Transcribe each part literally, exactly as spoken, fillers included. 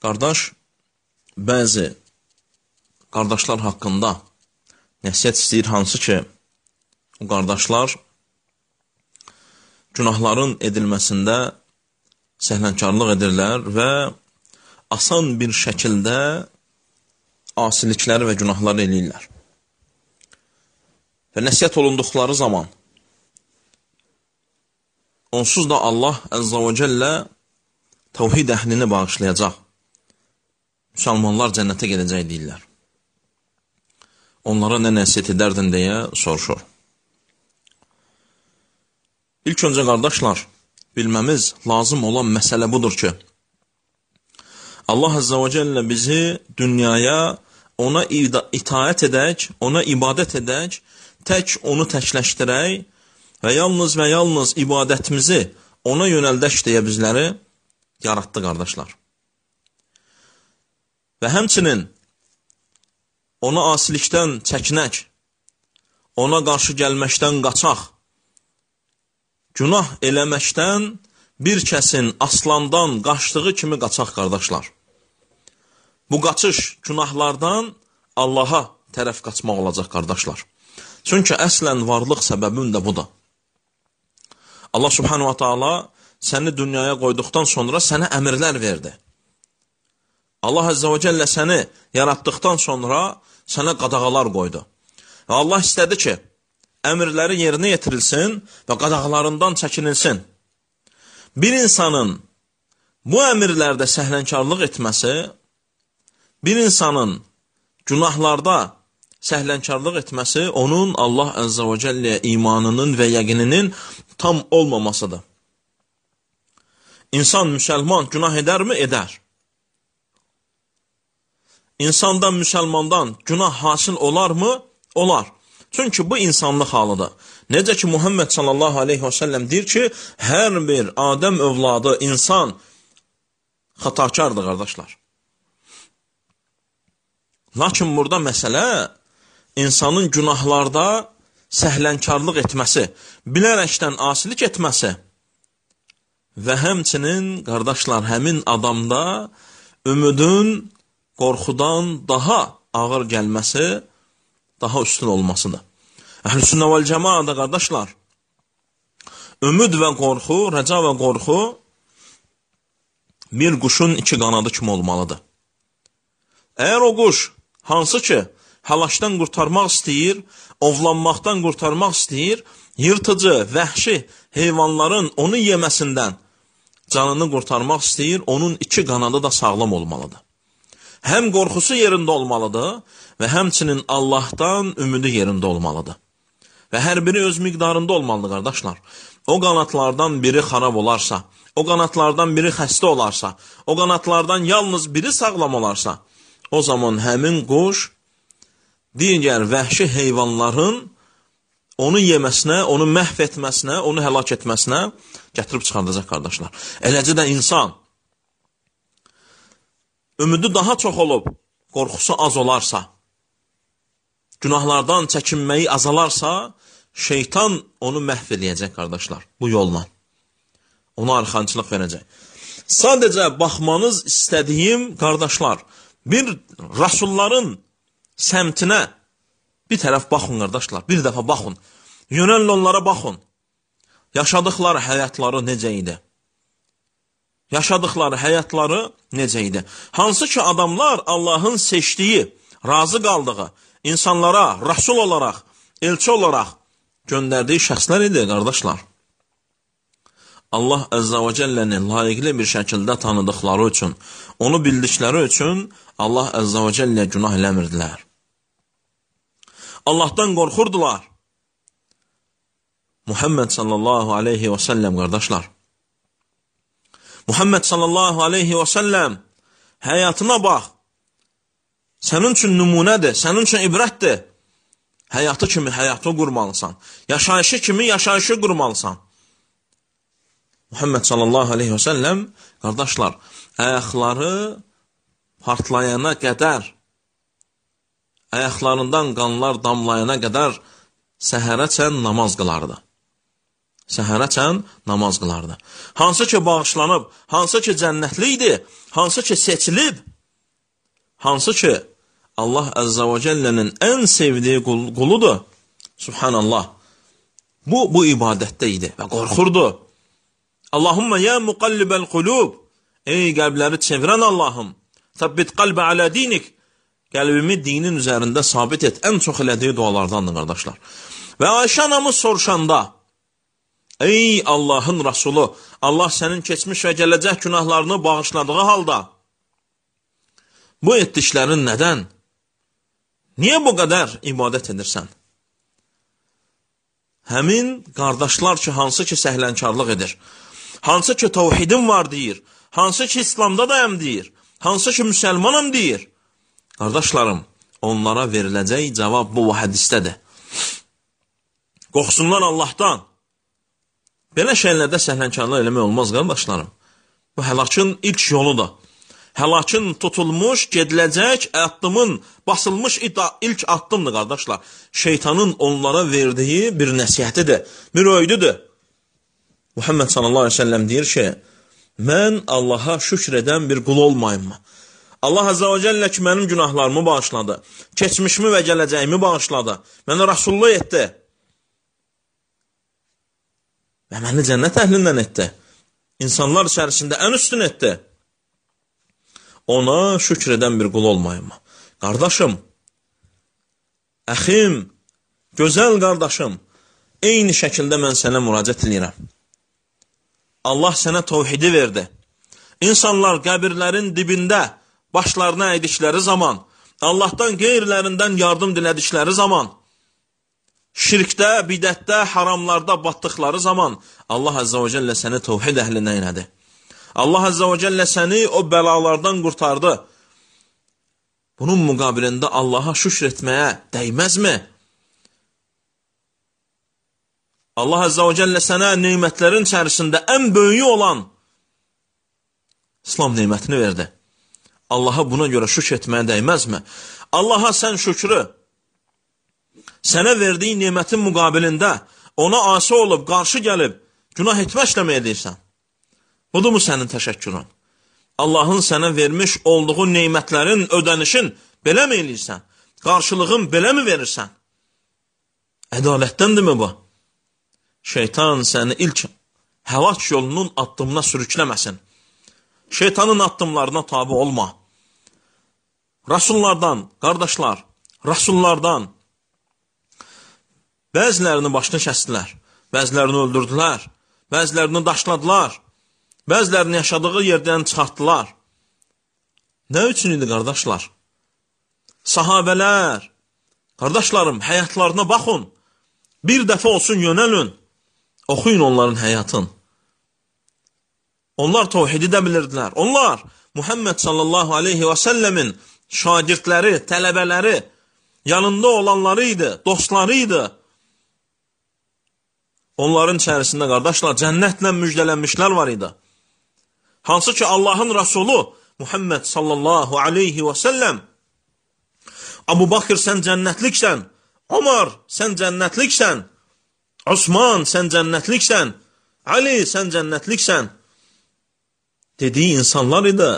Qardaş, bəzi qardaşlar haqqında nəsihət istəyir, hansı ki, o qardaşlar günahların edilməsində səhlənkarlıq edirlər və asan bir şəkildə asilikləri və günahları eləyirlər. Və nəsihət olunduqları zaman onsuz da Allah Əzzə və Cəllə təvhid əhlini bağışlayacaq. Müsəlmanlar cənnətə gedəcək deyirlər. Onlara nə nəsihət edərdin deyə soruşur. İlk öncə qardaşlar, bilməmiz lazım olan məsələ budur ki, Allah Əzzə və Cəllə bizi dünyaya ona itaət edək, ona ibadət edək, tək onu təkləşdirək və yalnız və yalnız ibadətimizi ona yönəldək deyə bizləri yaratdı qardaşlar. Və həmçinin ona asilikdən çəkinək, ona qarşı gəlməkdən qaçaq, günah eləməkdən bir kəsin aslandan qaçdığı kimi qaçaq qardaşlar. Bu qaçış günahlardan Allaha tərəf qaçmaq olacaq qardaşlar. Çünki əslən varlıq səbəbim də budur. Allah Subhanahu wa Ta'ala səni dünyaya qoyduqdan sonra sənə əmrlər verdi. Allah Əzzə və Cəllə səni yaratdıqdan sonra sənə qadağalar qoydu. Və Allah istədi ki, əmrləri yerinə yetirilsin və qadağalarından çəkinilsin. Bir insanın bu əmrlərdə səhlənkarlıq etməsi, bir insanın günahlarda səhlənkarlıq etməsi, onun Allah Əzzə və Cəlləyə imanının və yəqininin tam olmamasıdır. İnsan, müsəlman günah edərmi? Edər. İnsandan, müsəlmandan günah hasil olarmı? Olar. Çünki bu insanlıq halıdır. Necə ki, Muhammed sallallahu aleyhi və səlləm deyir ki, hər bir Adəm övladı, insan xatakardır, qardaşlar. Lakin burada məsələ, insanın günahlarda səhlənkarlıq etməsi, bilərəkdən asilik etməsi və həmçinin, qardaşlar, həmin adamda ümidin qorxudan daha ağır gəlməsi, daha üstün olmasıdır. Əhl-i-Sünnə vəl-Cəmaədə, qardaşlar, ümid və qorxu, rəca və qorxu bir quşun iki qanadı kimi olmalıdır. Əgər o quş, hansı ki, həlaşdan qurtarmaq istəyir, ovlanmaqdan qurtarmaq istəyir, yırtıcı, vəhşi heyvanların onu yeməsindən canını qurtarmaq istəyir, onun iki qanadı da sağlam olmalıdır. Həm qorxusu yerində olmalıdır və həmçinin Allahdan ümidi yerində olmalıdır. Və hər biri öz miqdarında olmalıdır, qardaşlar. O qanatlardan biri xarab olarsa, o qanatlardan biri xəstə olarsa, o qanatlardan yalnız biri sağlam olarsa, o zaman həmin quş digər vəhşi heyvanların onu yeməsinə, onu məhv etməsinə, onu həlak etməsinə gətirib çıxardacaq, qardaşlar. Eləcə də insan ümidi daha çox olub, qorxusu az olarsa, günahlardan çəkinməyi azalarsa, şeytan onu məhv eləyəcək, qardaşlar, bu yolla. Ona arxançılıq verəcək. Sadəcə baxmanız istədiyim, qardaşlar, bir rasulların səmtinə bir tərəf baxın, qardaşlar, bir dəfə baxın. Yönəlin onlara baxın. Yaşadıqları həyatları necə idi? Yaşadıqları həyatları necə idi? Hansı ki, adamlar Allahın seçdiyi, razı qaldığı, insanlara rasul olaraq, elçi olaraq göndərdiyi şəxslər idi, qardaşlar. Allah Əzzə və Cəlləni layiqli bir şəkildə tanıdıqları üçün, onu bildikləri üçün Allah Əzzə və Cəllə günah eləmirdilər. Allahdan qorxurdular. Muhammed sallallahu aleyhi və səlləm, qardaşlar. Muhammed sallallahu aleyhi və səlləm həyatına bax. Sənin üçün nümunədir, sənin üçün ibrətdir. Həyatı kimi həyatı qurmalısan. Yaşayışı kimi yaşayışı qurmalısan. Muhammed sallallahu aleyhi və səlləm, qardaşlar, ayaqları partlayana qədər, ayaqlarından qanlar damlayana qədər səhərəcən namaz qılardı. səhərəcən namaz qılardı. Hansı ki bağışlanıb, hansı ki cənnətli idi, hansı ki seçilib, hansı ki Allah Əzzə və Cəllənin ən sevdiyi quludur, Subhanallah, bu, bu ibadətdə idi və qorxurdu. Allahumma ya muqallibəl qulub, ey qəlbləri çevirən Allahım, təbbit qalbə alə dinik, qəlbimi dinin üzərində sabit et, ən çox elədiyi dualardandır, qardaşlar. Və Ayşə anamız soruşanda, ey Allahın Rasulü, Allah sənin keçmiş və gələcək günahlarını bağışladığı halda, bu etdiklərin nədən? Niyə bu qədər ibadət edirsən? Həmin qardaşlar ki, hansı ki səhlənkarlıq edir, hansı ki təvhidim var deyir, hansı ki İslamda dayam deyir, hansı ki müsəlmanam deyir, qardaşlarım, onlara veriləcək cavab bu hədisdədir. Qorxsunlar Allahdan. Belə şeylərdə səhlənkarlıq eləmək olmaz, qardaşlarım. Bu həlakın ilk yoludur. Həlakın tutulmuş, gediləcək, addımın basılmış ilk addımdır, qardaşlar. Şeytanın onlara verdiyi bir nəsihətidir, bir öydüdür. Muhammed sallallahu aleyhi ve sellem deyir ki, mən Allaha şükr edən bir qul olmayım mı? Allah Azza və Cəllə ki, mənim günahlarımı bağışladı, keçmişimi və gələcəyimi bağışladı, mənə Rasulullah etdi və məni cənnət əhlindən etdi, insanlar içərisində ən üstün etdi. Ona şükr edən bir qul olmayım mı? Qardaşım, əxim, gözəl qardaşım, eyni şəkildə mən sənə müraciət edirəm. Allah sənə təvhidi verdi. İnsanlar qəbirlərin dibində başlarına əydikləri zaman, Allahdan qeyrilərindən yardım dilədikləri zaman, şirkdə, bidətdə, haramlarda batdıqları zaman Allah Azza və Cəllə səni təvhid əhlinə elədi. Allah Azza və Cəllə səni o bəlalardan qurtardı. Bunun müqabilində Allaha şükr etməyə dəyməzmi? Allah Azza və Cəllə sənə neymətlərin içərisində ən böyüyü olan İslam neymətini verdi. Allaha buna görə şükr etməyə dəyməzmi? Allaha sən şükrü sənə verdiyi neymətin müqabilində ona asi olub, qarşı gəlib, günah etməklə mi edirsən? Budur mu sənin təşəkkürün? Allahın sənə vermiş olduğu neymətlərin ödənişin belə mi eləyirsən? Qarşılığın belə mi verirsən? Ədalətdəndirmi bu? Şeytan səni ilk həlak yolunun addımına sürükləməsin. Şeytanın addımlarına tabi olma. Rasullardan, qardaşlar, Rasullardan bəzilərini başını kəsdilər, bəzilərini öldürdülər, bəzilərini daşladılar, bəzilərini yaşadığı yerdən çıxartdılar. Nə üçün idi, qardaşlar? Sahabələr, qardaşlarım, həyatlarına baxın, bir dəfə olsun yönəlün, oxuyun onların həyatın. Onlar təvhidi də bilirdilər. Onlar Muhammed sallallahu aleyhi və səlləmin şagirdləri, tələbələri, yanında olanları idi, dostları idi. Onların içərisində, qardaşlar, cənnətlə müjdələnmişlər var idi. Hansı ki, Allahın Rasulü Muhammed sallallahu aleyhi və səlləm, Abu Bakır, sən cənnətliksən, Ömər, sən cənnətliksən, Osman, sən cənnətliksən, Ali, sən cənnətliksən dediyi insanlar idi.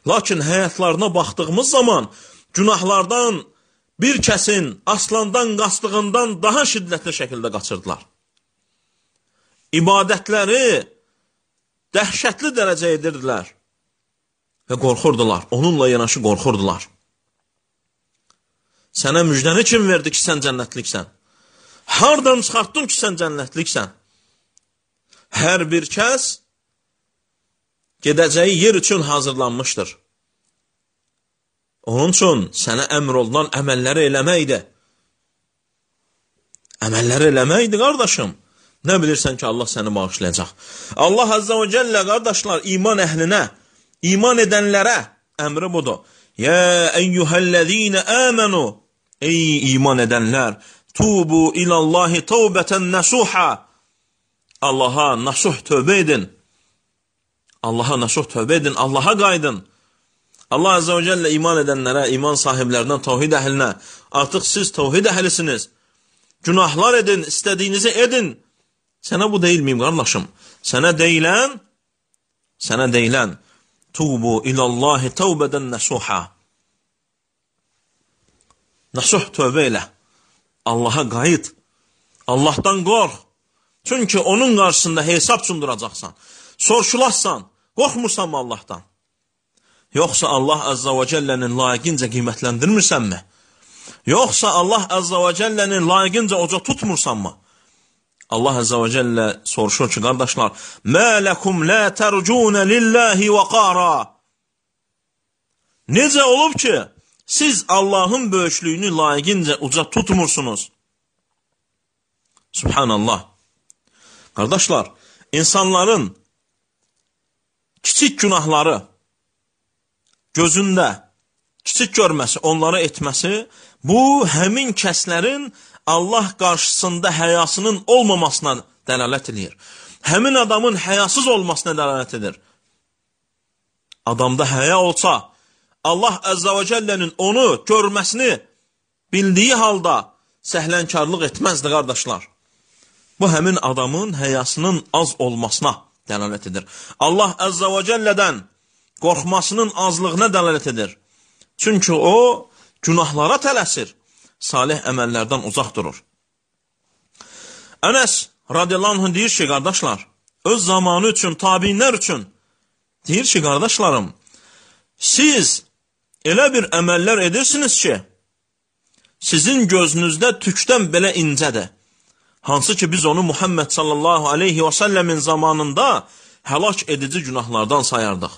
Lakin həyatlarına baxdığımız zaman günahlardan bir kəsin aslandan qaçdığından daha şiddətli şəkildə qaçırdılar. İbadətləri dəhşətli dərəcə edirdilər və qorxurdular. Onunla yanaşı qorxurdular. Sənə müjdəni kim verdi ki, sən cənnətliksən? Hardan çıxartdın ki, sən cənnətliksən? Hər bir kəs gedəcəyi yer üçün hazırlanmışdır. Onun üçün sənə əmr olunan əməlləri eləməkdir. Əməlləri eləməkdir, qardaşım. Nə bilirsən ki, Allah səni bağışlayacaq. Allah Azza və Cəllə, qardaşlar, iman əhlinə, iman edənlərə əmri budur. Yə əyyuhəl-ləzīnə əmənu, ey iman edənlər, tubu ilallahi tövbətən nəsuhə, Allaha nasuh tövbə edin. Allaha nasuh tövbə edin, Allaha qaydın. Allah Azza və Cəllə iman edənlərə, iman sahiblərindən təvhid əhlinə, artıq siz təvhid əhlisiniz. Günahlar edin, istədiyinizi edin. Sənə bu deyilməyim, qardaşım. Sənə deyilən, sənə deyilən, tubu ilallahi tövbədən nəsuha. Nəsuh tövbə elə. Allaha qayıt. Allahdan qorx. Çünki onun qarşısında hesab sunduracaqsan. Sorşulassan, qorxmursan mı Allahdan? Yoxsa Allah Azza və Cəllənin layiqincə qiymətləndirmirsənmi? Yoxsa Allah Azza və Cəllənin layiqincə oca tutmursan mı? Allah Azza və Cəllə soruşur ki, qardaşlar, Mə ləkum lə tərcunə lillahi və qara. Necə olub ki, siz Allahın böyüklüyünü layiqincə uca tutmursunuz? Subhanallah. Qardaşlar, insanların kiçik günahları gözündə kiçik görməsi, onları etməsi, bu həmin kəslərin Allah qarşısında həyasının olmamasına dəlalət edir. Həmin adamın həyasız olmasına dəlalət edir. Adamda həya olsa, Allah Əzzə və Cəllənin onu görməsini bildiyi halda səhlənkarlıq etməzdi, qardaşlar. Bu, həmin adamın həyasının az olmasına dəlalət edir. Allah Əzzə və Cəllədən qorxmasının azlığına dəlalət edir. Çünki o, günahlara tələsir, salih əməllərdən uzaq durur. Ənəs radiyallahu anh deyir ki, qardaşlar, öz zamanı üçün, tabinlər üçün, deyir ki, qardaşlarım, siz elə bir əməllər edirsiniz ki, sizin gözünüzdə tükdən belə incədir. Hansı ki, biz onu Muhammed sallallahu aleyhi və səlləmin zamanında həlak edici günahlardan sayardıq.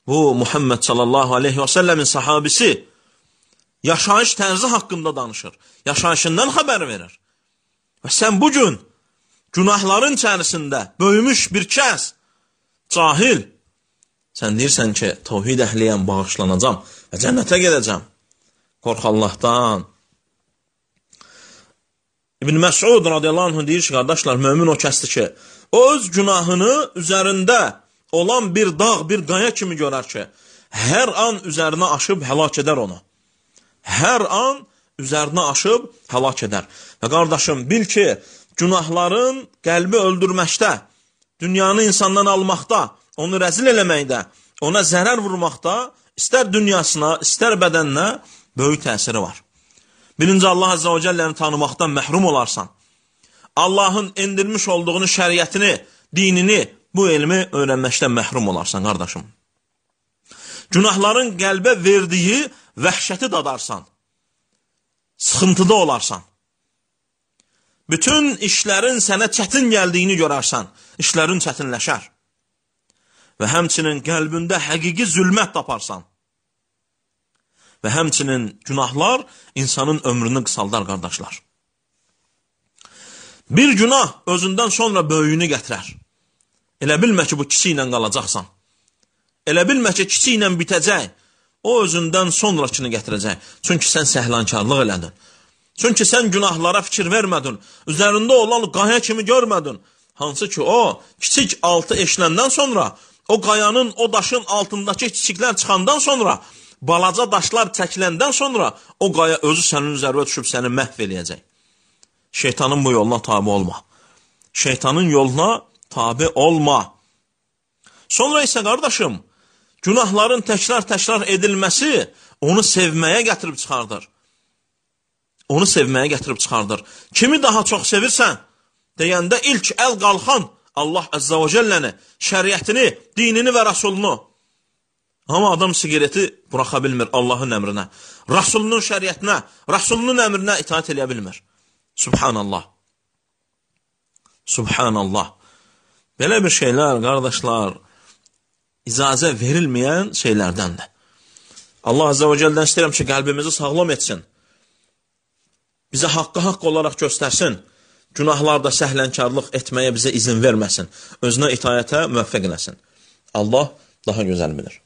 Bu, Muhammed sallallahu aleyhi və səlləmin sahabisi yaşayış tərzi haqqında danışır. Yaşayışından xəbər verir. Və sən bugün günahların içərisində böyümüş bir kəs, cahil, sən deyirsən ki, tövhid əhliyəm, bağışlanacam və cənnətə gedəcəm. Qorx Allahdan. İbn Məsud radiyallahu anh deyir ki, qardaşlar, mömin o kəsdir ki, o öz günahını üzərində olan bir dağ, bir qaya kimi görər ki, hər an üzərinə aşıb həlak edər onu. Hər an üzərinə aşıb həlak edər. Və qardaşım, bil ki, günahların qəlbi öldürməkdə, dünyanı insandan almaqda, onu rəzil eləməkdə, ona zərər vurmaqda, istər dünyasına, istər bədəninə böyük təsiri var. Birinci, Allah Azza və Cəlləni tanımaqdan məhrum olarsan. Allahın endirmiş olduğunu, şəriətini, dinini, bu elmi öyrənməkdən məhrum olarsan, qardaşım. Günahların qəlbə verdiyi vəhşəti dadarsan. Sıxıntıda olarsan. Bütün işlərin sənə çətin gəldiyini görərsən. İşlərin çətinləşər. Və həmçinin qəlbində həqiqi zülmət taparsan. Və həmçinin günahlar insanın ömrünü qısaldar, qardaşlar. Bir günah özündən sonra böyüyünü gətirər. Elə bilmə ki, bu kiçi ilə qalacaqsan. Elə bilmə ki, kiçi ilə bitəcək. O özündən sonrakını gətirəcək. Çünki sən səhlankarlıq elədin. Çünki sən günahlara fikir vermədin. Üzərində olan qaya kimi görmədin. Hansı ki, o kiçik altı eşləndən sonra, o qayanın, o daşın altındakı kiçiklər çıxandan sonra, balaca daşlar çəkiləndən sonra, o qaya özü sənin üzərində düşüb səni məhv eləyəcək. Şeytanın bu yoluna tabi olma. Şeytanın yoluna tabi olma. Sonra isə, qardaşım, günahların təkrar-təkrar edilməsi onu sevməyə gətirib çıxardır. Onu sevməyə gətirib çıxardır. Kimi daha çox sevirsən, deyəndə ilk əl qalxan Allah Əzzə və Cəlləni, şəriətini, dinini və rəsulunu. Amma adam sigareti buraxa bilmir Allahın əmrinə, rəsulunun şəriətinə, rəsulunun əmrinə itaat eləyə bilmir. Subhanallah. Subhanallah. Belə bir şeylər, qardaşlar, icazə verilməyən şeylərdəndir. Allah Azza və Cəllədən istəyirəm ki, qəlbimizi sağlam etsin. Bizə haqqı haqq olaraq göstərsin. Günahlarda səhlənkarlıq etməyə bizə izin verməsin. Özünə itayətə müvəffəq eləsin. Allah daha gözəl bilir.